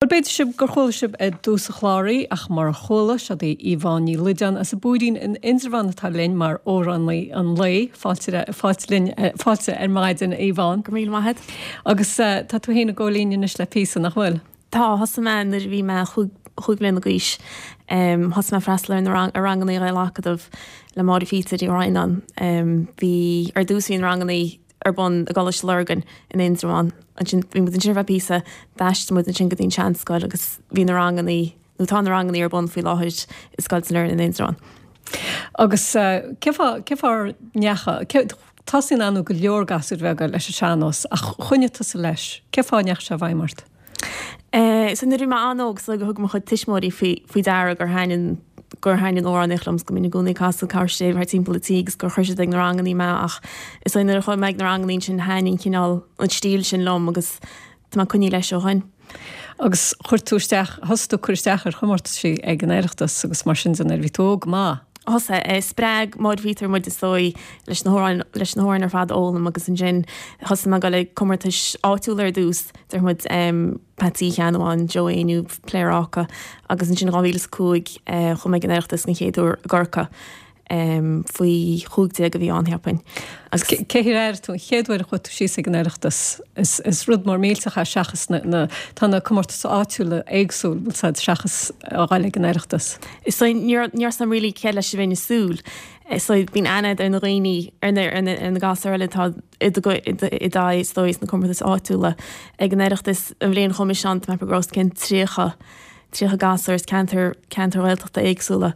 Bhuel, b'fhéidir sibh gur chuala sibh i dtús an chláir í, ach murar chuala, seod í Yvonne Ní Loideáin as an bPúirín in Indreabhán atá linn mar amhránaí an lae. Fáilte, fáilte linn, fáilte ar maidin, a Yvonne. Go raibh míle maith agat. Agus tá tú féin ag gabháil fhoinn anois le píosa, nach bhfuil? Tá, thosaigh mé nuair a bhí mé chúig bhliana d'aois. Thosaigh mé ag freastal ar na rang, ar rangannaí Ghael-Acadamh le Máire Phíotair Uí Dhroighneáin. Bhí, ar dtús bhí na rangannaí ar bun i gColáiste Lurgan in Indreabhán. Ansin, bhí muid ansin ar feadh píosa, d'aistrigh muid ansin go dtí an tseanscoil agus bhí na rangannaí, nó tá na rangannaí ar bun faoi láthair i Scoil San Lernan in Indreabhán. Agus cé fáth, cé fáth ar ndeacha, cé, tosaíonn ar ndóigh go leor gasúir bheaga leis an sean-nós ach choinnigh tusa leis, cé fáth a ndeachaigh sé i bhfeidhm ort? So nuair a bhí mé an-óg is dóigh gur thug mo chuid tuismitheoirí faoi faoi deara gur thaitin gur thaitin an amhránaíocht liom 's go mbínn i gcónaí ag casadh cabhair thart timpeall an tí agus gur chuir siad ag na rangannaí mé ach is dóigh nuair a chuaigh mé ag na rangannaí ansin thaitin an cineál an stíl sin liom agus tá mé coinnithe leis ó shin. Agus chuir tú isteach, thosaigh tú ag cur isteach ar chomórtaisí ag an Oireachtas agus mar sin de nuair a bhí tú óg go maith. Thosaigh, spreag Máire Phíotair muid is dóigh leis na hamhráin leis na hamhráin ar fad a fhoghlaim agus ansin thosaigh mé ag dul ag comórtais áitiúla ar dtús, déarfaidh muid Peatsaí Uí Cheannabháin, Joe Éinniú, Pléaráca agus ansin 2005 chuaigh mé ag an Oireachtas den chéad uair i gCorcaigh faoi 15 a bhí ann cheapfainn. Agus cé hé ar airigh tú an chéad uair a chuaigh tú síos ag an Oireachtas? Is is rud mór millteach é seachas na na tá na comórtais áitiúla éagsúil, bhfuil 's a'd, seachas a ghoil ag an Oireachtas. Is dóigh níor níor 's a'm really céard leis a bheinn ag súil. Is dóigh bíonn aithne a'd ar na dhaoine ar na ar na ar na gasúir eile atá i do i do i d'aghaidh is dóigh sna comórtais áitiúla. Ag an Oireachtas an bhliain a chuaigh mise ann tá mé ag ceapadh go raibh os cionn 30 30 gasúr as ceantair ceantair Ghaeltachta éagsúla.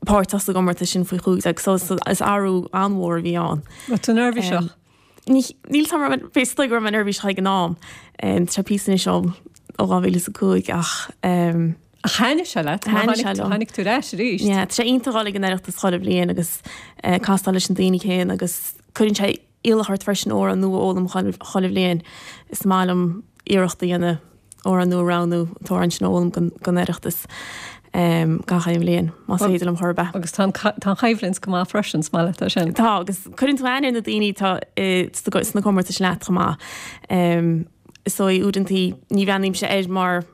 Páirteach sa gcomórtas sin faoi 15 so is athrú an-mhór a bhí ann. Raibh tú neirbhíseach? Níl 's a'm raibh mé, is dóigh go raibh mé neirbhíseach ag an am. Tá sé píosa anois ó 2005 ach. Ach thaitnigh sé leat, Thaitnigh sé liom. Tháinig tú ar ais arís. Yeah, tá sé iontach dul ag an Oireachtas chuile bhliain agus castáil leis na daoine céanna agus cuireann sé iallach ort freisin amhrán nua a fhoghlaim chuile bhliain. Is maith liom iarracht a dhéanamh amhrán nua a roghnú, an t-amhrán sin a fhoghlaim don Oireachtas gach aon bhliain, más féidir liom chor ar bith. Agus tá an choimhlint go maith freisin, is maith leat é sin. Tá, agus cuireann tú aithne ar na daoine atá sna comórtais leat chomh maith. Is dóigh uaireantaí ní bhreathnaímse air mar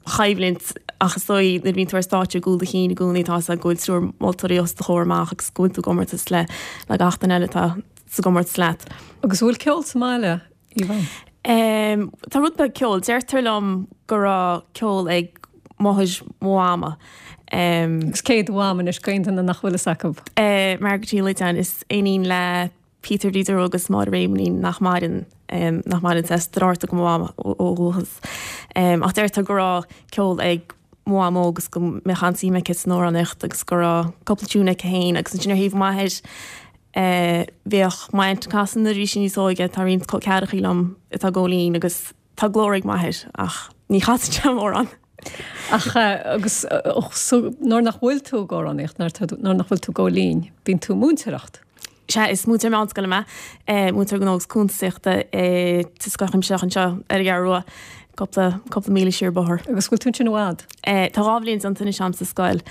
choimhlint ach is dóigh nuair a bhíonn tú ar stáitse i gcúl do chinn i gcónaí tá 'fhios a'd go bhfuil triúr moltóirí os do chomhair amach agus go bhfuil tú i gcomórtas le le gach duine eile atá sa gcomórtas leat. Agus an bhfuil ceol sa mbaile, Yvonne? Em, tá rud beag ceoil. Deirtear liom go raibh ceol ag máthair mo mhama. Em. Agus cé do mham anois, d'aon duine nach bhfuil fhios acu? Eh, Margaret Uí Loideáin, is iníon le Peter Bhríde Rua agus Máire Réamoinín nach maireann, nach maireann, as Driortach do mo mham ó dhúchas. Ach deirtear go raibh ceol ag mo mhamó agus go mbeadh an-suim aici san amhránaíocht agus go raibh cúpla tiún aici féin agus ansin ar thaobh m'athair bhíodh m'aint ag casadh nuair a bhí sí níos óige, tá roinnt col ceathrachaí liom atá ag gabháil fhoinn agus Tá glór ag m'athair ach ní chasann sé mórán. Ach agus so nuair nach bhfuil tú ag amhránaíocht, nuair nach bhfuil tú ag gabháil fhoinn, bíonn tú ag múinteoireacht. Sea, is múinteoir meánscoile mé, múinteoir gnó agus cuntasaíochta i sa Scoil Chuimsitheach anseo ar an gCeathrú Rua, cúpla, cúpla míle siar bóthar. Agus bhfuil tú ansin i bhfad? Tá 2 bhliain déanta anois a'm sa scoil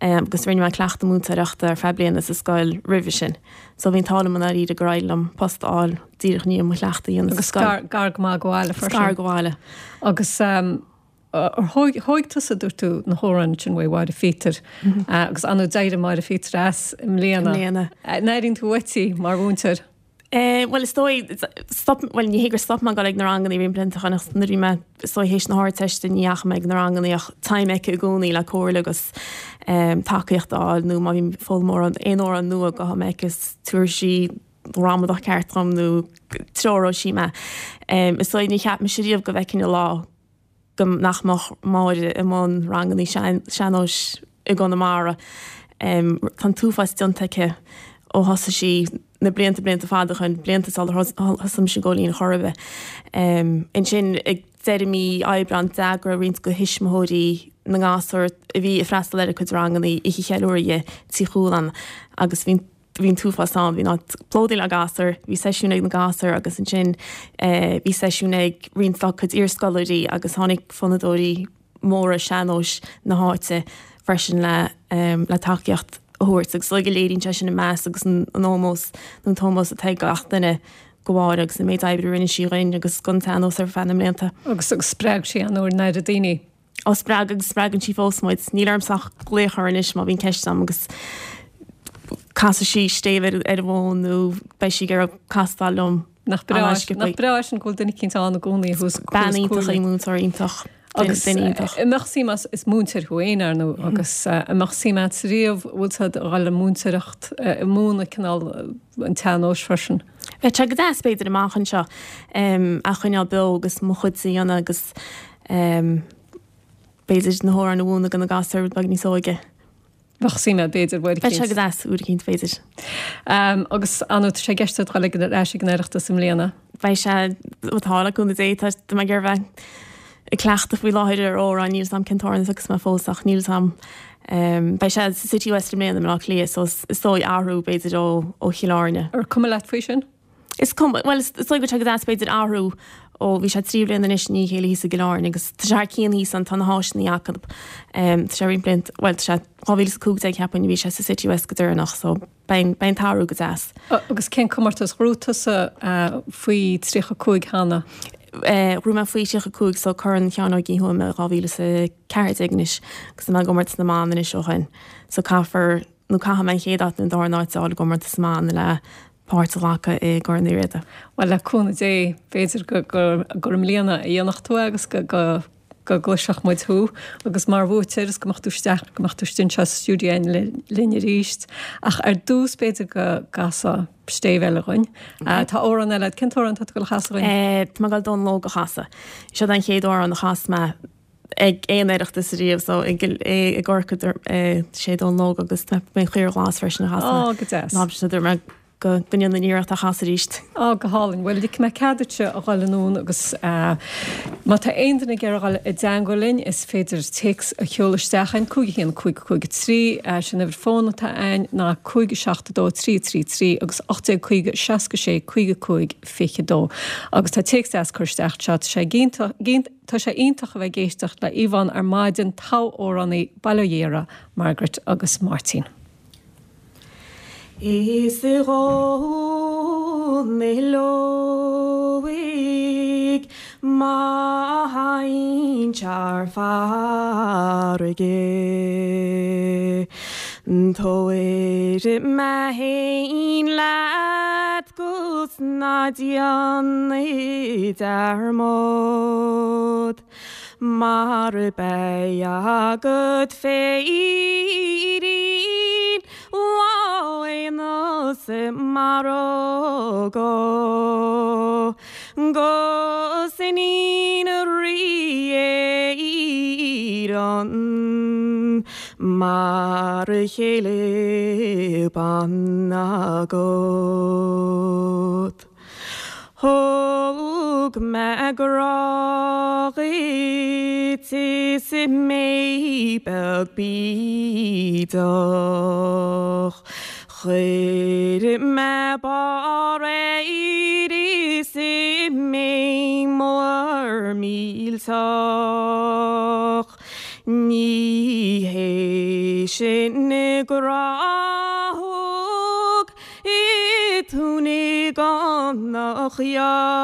agus rinne mé cleachtadh múinteoireachta ar feadh bliana sa scoil roimhe sin. So bhí an t-ádh liom i ndáiríre gur éirigh liom post a fháil díreach i ndiaidh mo chleachtadh a dhéanamh sa Agus scoil. gar, gar go maith go bhaile freisin. Gar go bhaile. Agus ar thóig, thóig tusa, dúirt tú, na hamhráin sin uaidh Mháire Phíotair. Agus ar ndóigh d'éirigh Máire Phíotair as i mbliana. I mbliana. An airíonn tú uait í mar mhúinteoir? Bhuel is dóigh, stop, bhuel ní hé gur stop mé ag dul ag na rangannaí roinnt blianta ó shin ach nuair a bhí mé is dóigh théis na hArdteiste ní dheachaigh mé ag na rangannaí ach táim aici i gcónaí le comhairle agus tacaíocht a fháil nó má bhím ag foghlaim amhrán, aon amhrán nua gabhfaidh mé aici is tabharfaidh sí gramadach ceart dhom nó treoróidh sí mé. Is dóigh ní cheap mise riamh go bhfeicfinn an lá go nach mbeadh Máire i mbun rangannaí sean-nóis i gConamara. Tá an t-uafás déanta aici ó thosaigh sí na blianta, blianta fada ó shin, blianta sular thosaigh mise ag gabháil fhoinn chor ar bith. Ansin ag deireadh mí Aibreáin d'eagraigh roinnt de thuismitheoirí na ngasúr a bhí ag freastal ar a cuid rangannaí oíche cheiliúrtha di Tigh Chualann agus bhí bhí an t-uafás ann, bhí an áit plódaithe le gasúir, bhí seisiún ag na gasúir agus ansin bhí seisiún ag roinnt dá cuid iarscoláirí agus tháinig fonnadóirí móra sean-nóis na háite freisin le le tacaíocht a thabhairt agus is dóigh go léiríonn sé sin an meas agus an ómós nó an t-ómós atá ag gach duine. Do Mháire agus an méid oibre a rinne sí dhuinn agus don tsean-nós ar feadh na mblianta. Agus agus spreag sí an-oiread an oiread daoine. Ó spreag agus spreagann sí fós muid. Níl ormsa ach glaoch uirthi anois má bhíonn ceist agam agus casfaidh sí stéibh ar ar an bhfón nó beidh sí ag iarraidh castáil liom. Nach breá nach breá sin go bhfuil duine eicínt ann i gcónaí a thabharfas Bean iontach í múinteoir iontach. Agus duine iontach. An mbeadh suim agat, is múinteoir thú féin, ar ndóigh, agus an mbeadh suim agat riamh, bhfuil tú ag dul le múinteoireacht, múineadh cineál an tsean-nóis freisin? Bheadh sé go deas b'fhéidir amach anseo a choinneáil beo agus mo chuid a dhéanamh agus b'fhéidir na hamhráin a mhúineadh do na gasúir rud beag níos óige. Bheadh suim agat b'fhéidir, uair eicínt. Bheadh sé go deas, uair eicínt b'fhéidir. Agus ar ndóigh, tá sé i gceist agat dul ar ais ag an Oireachtas i mbliana? Beidh sé, tá, le cúnamh Dé, tá mé ag iarraidh bheith ag cleachtadh faoi láthair ar amhrán, níl 'fhios a'm cén t-amhrán a thiocfas mé fós ach níl 'fhios a'm. Beidh sé sa Citywest i mbliana i mBleá Cliath so is dóigh athrú b'fhéidir ó Chill Airne. Ar cuma leat faoi sin? Is cuma, bhuel is dóigh go bhfuil sé go deas b'fhéidir athrú ó bhí sé 3 bliana anois i ndiaidh a chéile thíos i gCill Airne agus tá sé thar cionn thíos ann, tá na háiseanna acu, tá sé roinnt blianta, bhuel tá sé 2015 cheapfainn a bhí sé sa Citywest go deireanach so beidh an t-athrú go deas. Agus cén comórtas ghnóthaigh tusa faoi 35 cheana? Ghnóthaigh mé faoi 35 so Corn Sheáin Óig Uí Thuama 2014 anois agus tá mé ag imirt na mban anois ó shin so caithfear nó caithfidh mé an chéad áit nó an dara háit a fháil i gcomórtas na mban le páirt a ghlacadh i gCorn Uí Riada. Bhuel, le cúnamh Dé, b'fhéidir gur i mbliana a dhéanfadh tú é agus go gcloisfeadh muid thú agus mar bhuaiteoir is go mbeadh tú isteach, go mbeadh tú istigh anseo sa stiúideo linn arís. Ach ar dtús b'fhéidir go gcasfá stéibh eile dhuinn. Tá amhrán eile agat. Cén t-amhrán atá tú ag dul a chasadh dhuinn? Tá mé ag dul Dónal Óg a chasadh. Seo an chéad amhrán a chas mé ag aon Oireachtas ariamh so i gCorcaigh sé Dónal Óg agus mé an Chaora Ghlas freisin a chas mé. Ó, go deas. Ná sin dúirt mé go ndéanfainn iarracht a chasadh arís. Ó, go hálainn. Bhuel, ligfidh mé cead duitse a dhul anonn agus má tá aon duine ag iarraidh a dhul i dteangmháil linn, is féidir téacs a sheoladh isteach chugainn, 5 1 5 5 3, sin uimhir fóin atá againn, ná 5 7 2 3 3 3 agus 1850 66 55 22. Agus tá téacs deas curtha isteach anseo, tá sé iontach, Tá sé iontach a bheith ag éisteacht le Yvonne ar maidin, togha-amhránaí, Baile Ó Dhéara, Margaret agus Máirtín. Is a Dhónaill Óig má théinn thar farraige Tabhair mé fhéin leat 'gus ná déan dearmad Mar beidh agat féirín lá an mhargaidh 'Gus iníon Rí Éireann mar chéile ban agat. Thug mé grá dhuit is mé beag bídeach. Chuir mé barr air is mé mór millteach. Ní hé sin grá a thug tú ní gan a ghearradh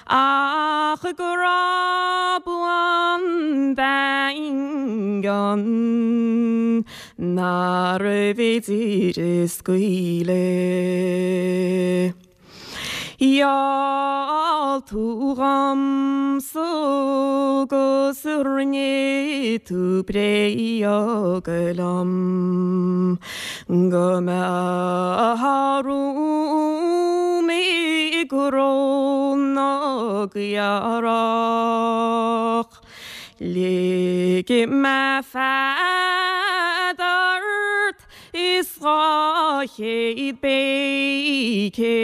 ach grá buan daingean nárbh fhéidir a scaoileadh. Gheall tú dhomsa 'gus rinne tú bréag liom go mbeifeá romham i gcró na gcaorach. Lig mé fead ort is 200 béice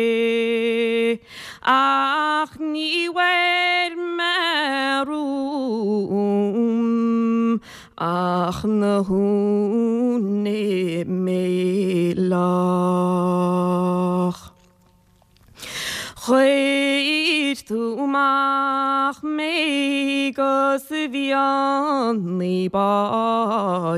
ach ní bhfuair mé romham ach na huaine méileach. Chuir tú amach mé 'gus mhionnaigh báisteach.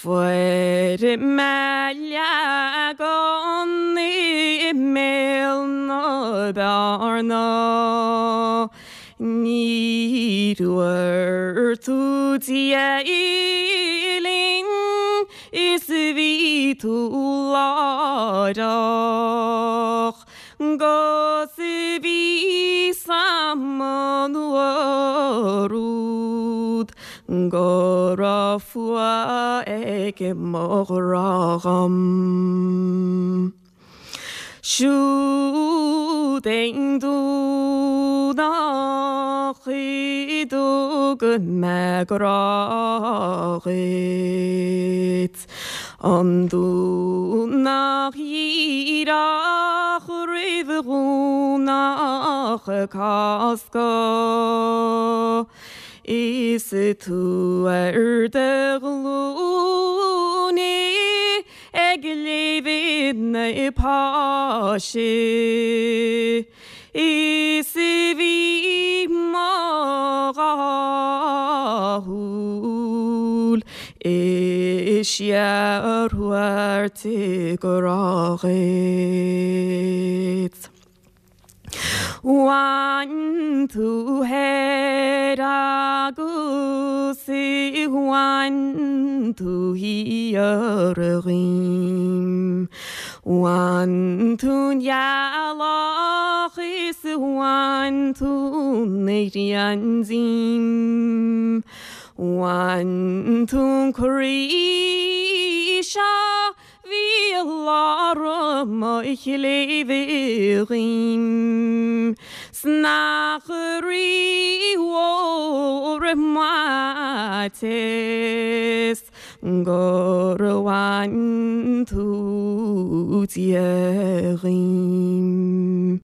Fuair mé leagan i mbéal na bearna. Ní dúirt tú Dia linn is bhí tú láithreach 'gus bhí 's a'm an uair úd go raibh fuath ag mo ghrá dhom. Siúd é an Domhnach a dtug mé grá dhuit, an Domhnach dhíreach roimh Dhomhnach Cásca. Is tú ar do ghlúine ag léamh na Páise is bhí mo dhá shúil ag síorthabhairt grá dhuit. Bhain tú thoir agus bhain tú thiar dhíom. Bhain tú an ghealach is bhain tú an ghrian díom. Bhain tú an croí seo Bhí i lár mo chléibhe dhíom 's nach rí-mhór an maiteas gur bhain tú Dia dhíom.